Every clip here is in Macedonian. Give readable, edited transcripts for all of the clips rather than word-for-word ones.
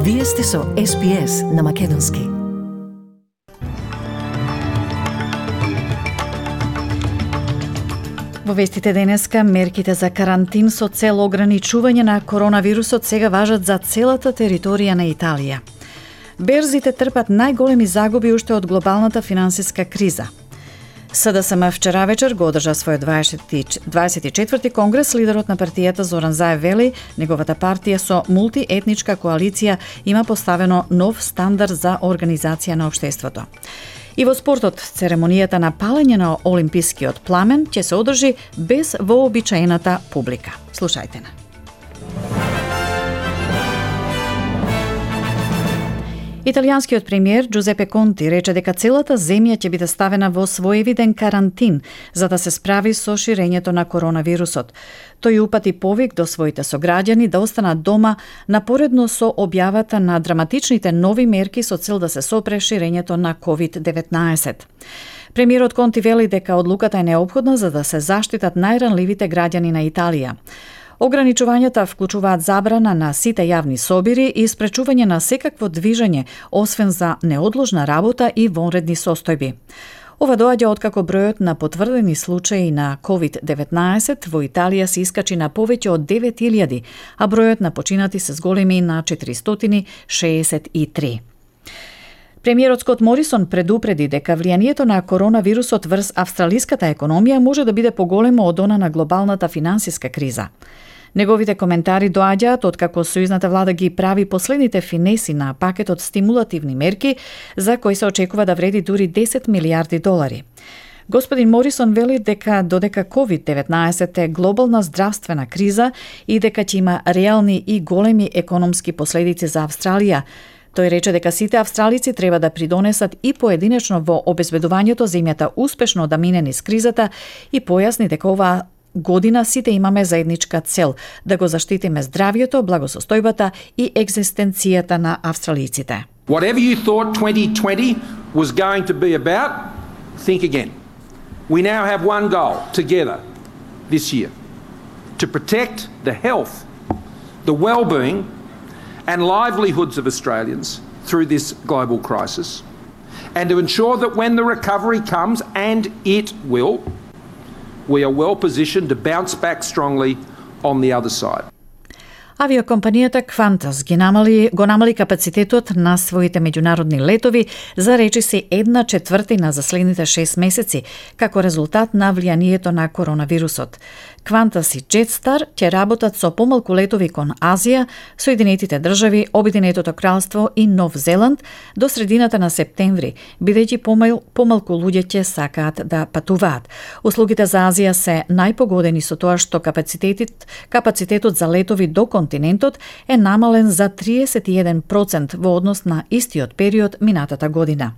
Вие сте со SPS на Македонски. Во вестите денеска, мерките за карантин со цел ограничување на коронавирусот сега важат за целата територија на Италија. Берзите трпат најголеми загуби уште од глобалната финансиска криза. СДСМ вчера вечер го одржа својот 24-ти конгрес. Лидерот на партијата Зоран Заев вели, неговата партија со мултиетничка коалиција има поставено нов стандард за организација на општеството. И во спортот, церемонијата на палење на олимпискиот пламен ќе се одржи без вообичаената публика. Слушајте на. Италијанскиот премиер Джузепе Конти рече дека целата земја ќе биде ставена во своевиден карантин за да се справи со ширењето на коронавирусот. Тој упати повик до своите сограѓани да останат дома напоредно со објавата на драматичните нови мерки со цел да се сопре ширењето на COVID-19. Премиерот Конти вели дека одлуката е неопходна за да се заштитат најранливите граѓани на Италија. Ограничувањата вклучуваат забрана на сите јавни собири и спречување на секакво движење, освен за неодложна работа и вонредни состојби. Ова доаѓа откако бројот на потврдени случаи на COVID-19 во Италија се искачи на повеќе од 9000, а бројот на починати се зголеми на 463. Премиерот Скот Морисон предупреди дека влијанието на коронавирусот врз австралиската економија може да биде поголемо од она на глобалната финансиска криза. Неговите коментари доаѓаат откако сојузната влада ги прави последните финеси на пакетот стимулативни мерки за кои се очекува да вреди дури 10 милијарди долари. Господин Морисон вели дека додека COVID-19 е глобална здравствена криза и дека ќе има реални и големи економски последици за Австралија, тој рече дека сите австралици треба да придонесат и поединечно во обезбедувањето земјата успешно да мине низ кризата и појасни дека оваа година сите имаме заедничка цел да го заштитиме здравјето, благосостојбата и екзистенцијата на австралиците. Whatever you thought 2020 was going to be about, think again. We now have one goal together this year: to protect the health, the well-being and livelihoods of Australians through this global crisis, and to ensure that when the recovery comes, and it will, we are well positioned to bounce back strongly on the other side. Авиокомпанијата Qantas го намали капацитетот на своите меѓународни летови за речиси 1/4 за следните 6 месеци, како резултат на влијанието на коронавирусот. Qantas и Jetstar ќе работат со помалку летови кон Азија, Соединетите држави, Обединетото кралство и Нов Зеланд до средината на септември, бидејќи помалку луѓе ќе сакаат да патуваат. Услугите за Азија се најпогодени со тоа што капацитетот за летови до континентот е намален за 31% во однос на истиот период минатата година.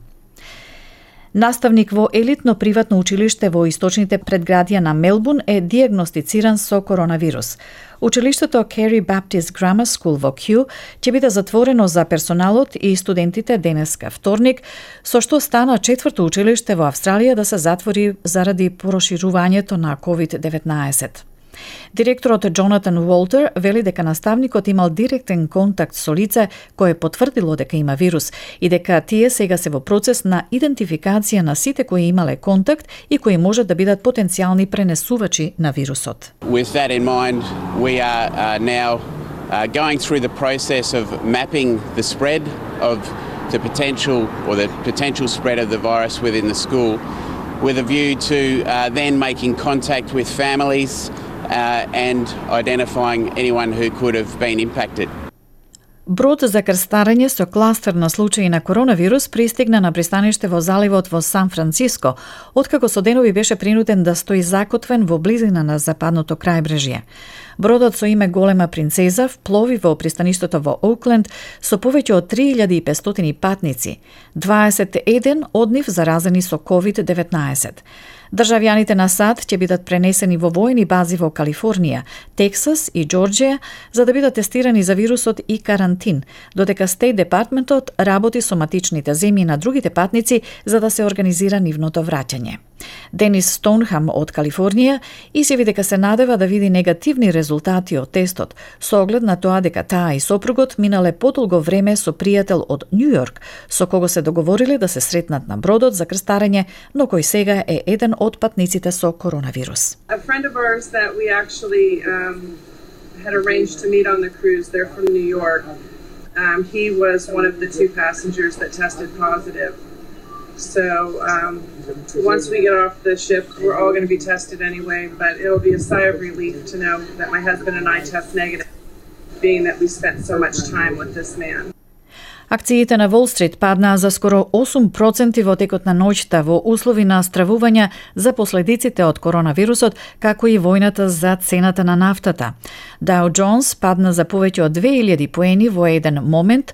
Наставник во елитно приватно училиште во источните предградија на Мелбурн е диагностициран со коронавирус. Училиштето Carey Baptist Grammar School во Кју ќе биде затворено за персоналот и студентите денеска вторник, со што стана четврто училиште во Австралија да се затвори заради проширувањето на COVID-19. Директорот Джонатан Уолтер вели дека наставникот имал директен контакт со лице кое потврдило дека има вирус и дека тие сега се во процес на идентификација на сите кои имале контакт и кои можат да бидат потенцијални пренесувачи на вирусот. With that in mind, we are now going through the process of mapping the spread of the potential spread of the virus within the school with a view to then making contact with families and identifying anyone who could have been impacted. Брод за крстарење со кластер на случаи на коронавирус пристигна на пристаниште во заливот во Сан Франциско, откако со денови беше принуден да стои закотвен во близина на западното крајбрежје. Бродот со име Голема принцеза вплови во пристаништето во Оукленд со повеќе од 3500 патници, 21 од нив заразени со COVID-19. Државјаните на САД ќе бидат пренесени во војни бази во Калифорнија, Тексас и Џорџија за да бидат тестирани за вирусот и карантин, додека Стейт департментот работи со матичните земји на другите патници за да се организира нивното враќање. Денис Стоунхам од Калифорнија изјави дека се надева да види негативни резултати од тестот, со оглед на тоа дека таа и сопругот минале подолго време со пријател од Њу Јорк, со кого се договориле да се сретнат на бродот за крстарење, но кој сега е еден од патниците со коронавирус. A friend of ours that we actually had arranged to meet on the cruise, they're from New York. He was one of the two passengers that tested positive. So once we get off the ship, we're all going to be tested anyway, but it'll be a sigh of relief to know that my husband and I test negative, being that we spent so much time with this man. Акциите на Wall Street паднаа за скоро 8% во текот на ноќта во услови на стравување за последиците од коронавирусот, како и војната за цената на нафтата. Dow Jones падна за повеќе од 2000 поени во еден момент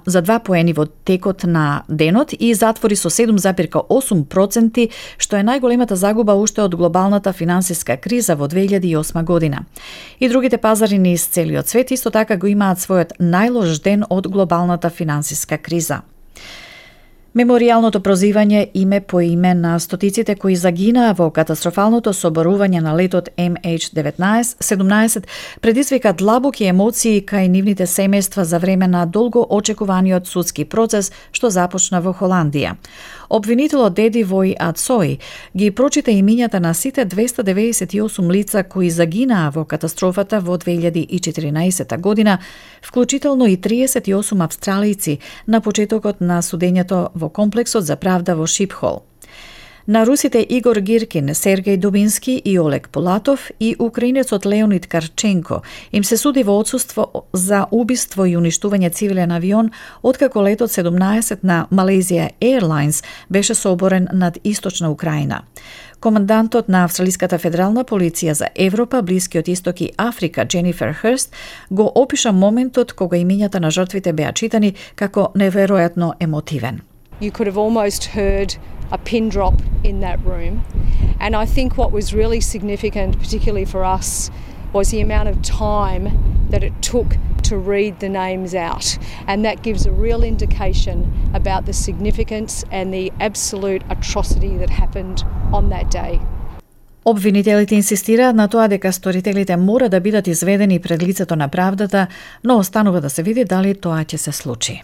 за 2 поени во текот на денот и затвори со 7,8%, што е најголемата загуба уште од глобалната финансиска криза во 2008 година. И другите пазари низ целиот свет исто така го имаат својот најлош ден од глобалната финансиска криза. Меморијалното прозивање име по име на стотиците кои загинаа во катастрофалното соборување на летот MH17 предизвика длабоки емоции кај нивните семејства за време на долго очекуваниот судски процес што започна во Холандија. Обвинителот Деди Вој Ацои ги прочита имињата на сите 298 лица кои загинаа во катастрофата во 2014 година, вклучително и 38 австралијци на почетокот на судењето во комплексот за правда во Шипхол. На русите Игор Гиркин, Сергеј Дубински и Олег Полатов и украинецот Леонид Карченко им се суди во отсуство за убиство и уништување цивилен авион откако летот 17 на Malaysia Airlines беше соборен над источна Украина. Командантот на Австралиската федерална полиција за Европа, Блискиот исток и Африка, Дженифер Хърст, го опиша моментот кога имињата на жртвите беа читани како неверојатно емотивен. You could have almost heard a pin drop in that room. And I think what was really significant, particularly for us, was the amount of time that it took to read the names out. And that gives a real indication about the significance and the absolute atrocity that happened on that day. Обвинителите инсистираат на тоа дека сторителите мора да бидат изведени пред лицето на правдата, но останува да се види дали тоа ќе се случи.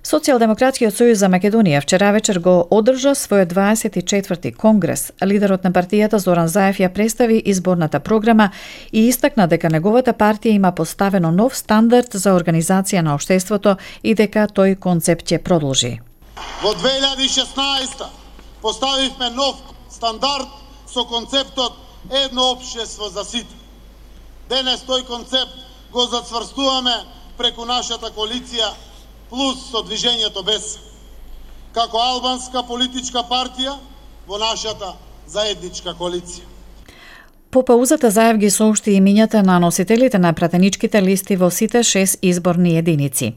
Социјалдемократскиот сојуз за Македонија вчера вечер го одржа својот 24-ти конгрес. Лидерот на партијата Зоран Заев ја представи изборната програма и истакна дека неговата партија има поставено нов стандард за организација на општеството и дека тој концепт ќе продолжи. Во 2016 поставивме нов стандард со концептот едно општество за сите. Денес тој концепт го зацврстуваме преку нашата коалиција плюс со движењето без, како албанска политичка партија во нашата заедничка коалиција. По паузата Заев ги соопшти имињата на носителите на пратеничките листи во сите 6 изборни единици.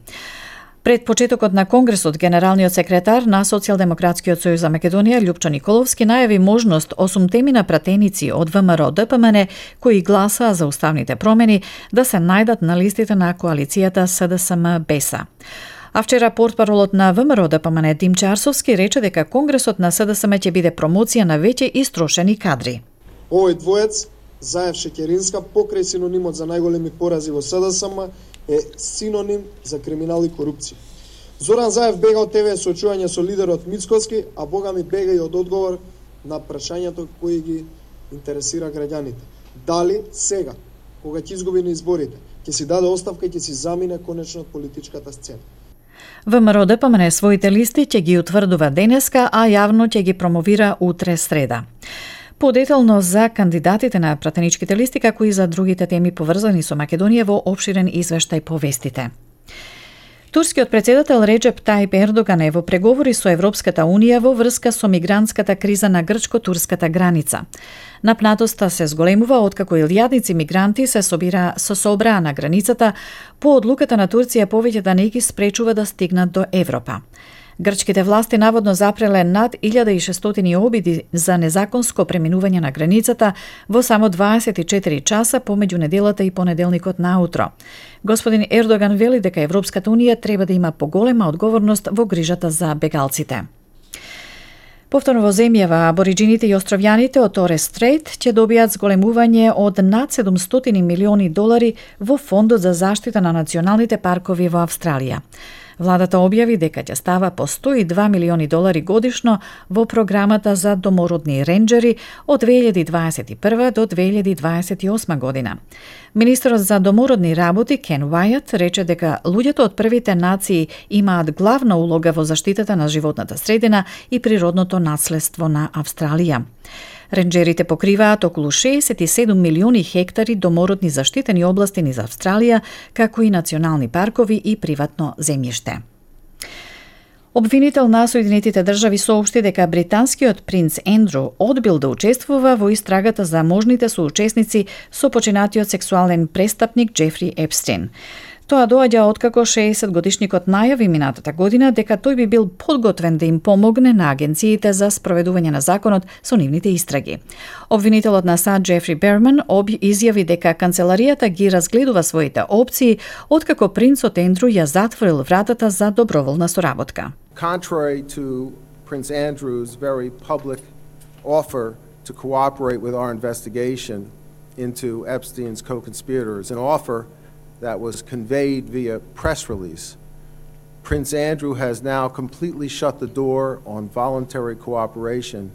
Пред почетокот на Конгресот, генералниот секретар на Социјалдемократскиот сојуз за Македонија Љупчо Николовски најави можност 8 пратеници од ВМРО ДПМН кои гласаа за уставните промени да се најдат на листите на коалицијата СДСМ-БЕСА. А вчера портпаролот на ВМРО ДПМН Димче Арсовски рече дека Конгресот на СДСМ ќе биде промоција на веќе истрошени кадри. Овој двоец, Заев Шекеринска, покрај синонимот за најголеми порази во СДСМ, е синоним за криминал и корупција. Зоран Заев бега од ТВ соочување со лидерот Мицкоски, а бога ми бега и од одговор на прашањето кои ги интересира граѓаните. Дали сега, кога ќе изгуби на изборите, ќе си даде оставка и ќе си замине конечно од политичката сцена. ВМРО ДПМН своите листи ќе ги утврдува денеска, а јавно ќе ги промовира утре среда. Подетално за кандидатите на пратеничките листи, како и за другите теми поврзани со Македонија во опширен извештај по вестите. Турскиот председател Реджеп Тајип Ердоган е во преговори со Европската Унија во врска со мигрантската криза на грчко-турската граница. Напнатоста се зголемува откако илјадници мигранти се собраа на границата по одлуката на Турција повеќе да не ги спречува да стигнат до Европа. Грчките власти наводно запреле над 1600 обиди за незаконско преминување на границата во само 24 часа помеѓу неделата и понеделникот наутро. Господин Ердоган вели дека Европската Унија треба да има поголема одговорност во грижата за бегалците. Повторно во земјава, абориджините и островјаните од Торес Стрейт ќе добијат зголемување од над $700 милиони во Фондот за заштита на националните паркови во Австралија. Владата објави дека ќе става по $102 милиони годишно во програмата за домородни ренџери од 2021 до 2028 година. Министерот за домородни работи Кен Уајат рече дека луѓето од првите нации имаат главна улога во заштитата на животната средина и природното наследство на Австралија. Ренџерите покриваат околу 67 милиони хектари домородни заштитени области низ Австралија, како и национални паркови и приватно земјиште. Обвинител на Соединетите држави соопшти дека британскиот принц Ендру одбил да учествува во истрагата за можните соучесници со починатиот сексуален престапник Джефри Епстин. Тоа доаѓа откако 60-годишникот најави минатата година дека тој би бил подготвен да им помогне на агенциите за спроведување на законот со нивните истраги. Обвинителот на САД Джефри Берман изјави дека канцеларијата ги разгледува своите опции откако принцот Ендру ја затворил вратата за доброволна соработка. Contrary to Prince Andrew's very public offer to cooperate with our investigation into Epstein's co-conspirators, an offer that was conveyed via press release, Prince Andrew has now completely shut the door on voluntary cooperation.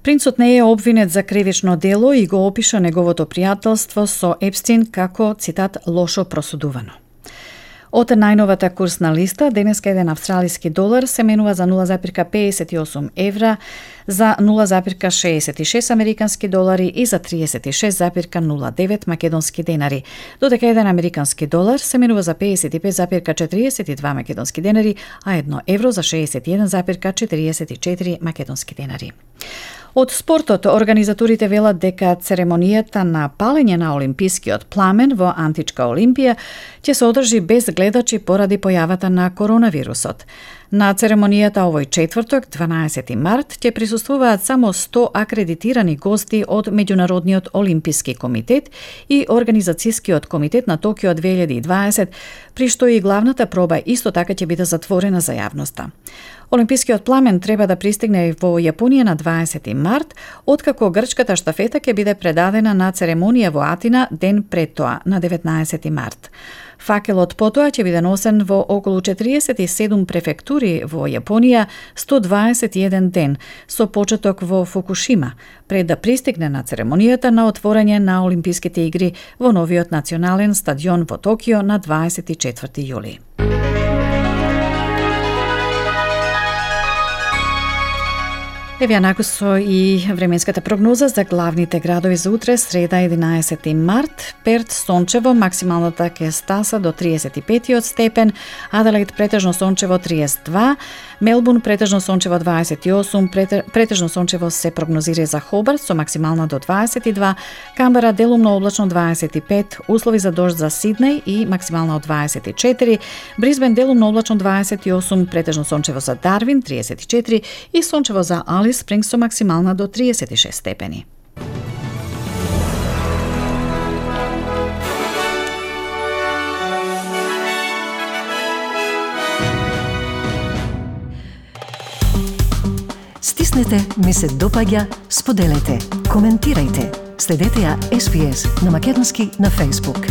Принцот не е обвинет за кривично дело и го опиша неговото пријателство со Епстин како, цитат, лошо просудувано. Од најновата курсна листа, денеска еден австралиски долар се менува за 0,58 евра, за 0,66 американски долари и за 36,09 македонски денари, додека еден американски долар се менува за 55,42 македонски денари, а 1 евро за 61,44 македонски денари. Од спортот, организаторите велат дека церемонијата на палење на олимпискиот пламен во Античка Олимпија ќе се одржи без гледачи поради појавата на коронавирусот. На церемонијата овој четврток, 12 март, ќе присуствуваат само 100 акредитирани гости од Меѓународниот олимписки комитет и Организацијскиот комитет на Токио 2020, при што и главната проба исто така ќе биде затворена за јавноста. Олимпискиот пламен треба да пристигне во Јапонија на 20 март, откако грчката штафета ќе биде предадена на церемонија во Атина ден пред тоа, на 19 март. Факелот потоа ќе биде носен во околу 47 префектури во Јапонија 121 ден, со почеток во Фукушима, пред да пристигне на церемонијата на отворање на Олимписките игри во новиот национален стадион во Токио на 24 јули. Еве накусо и временската прогноза за главните градови за утре, среда 11 март. Перт сончево, максималната ќе стаса до 35 степен, Аделаид претежно сончево 32, Мелбурн претежно сончево 28, претежно сончево се прогнозира за Хобарт со максимална до 22, Камбера делумно облачно 25, услови за дожд за Сиднеј и максимална од 24, Брисбен делумно облачно 28, претежно сончево за Дарвин 34 и сончево за Алис Спрингс со максимална до 36 степени. Стиснете, ми се допаѓа, споделете, коментирајте. Следете ја SPS на Македонски на Facebook.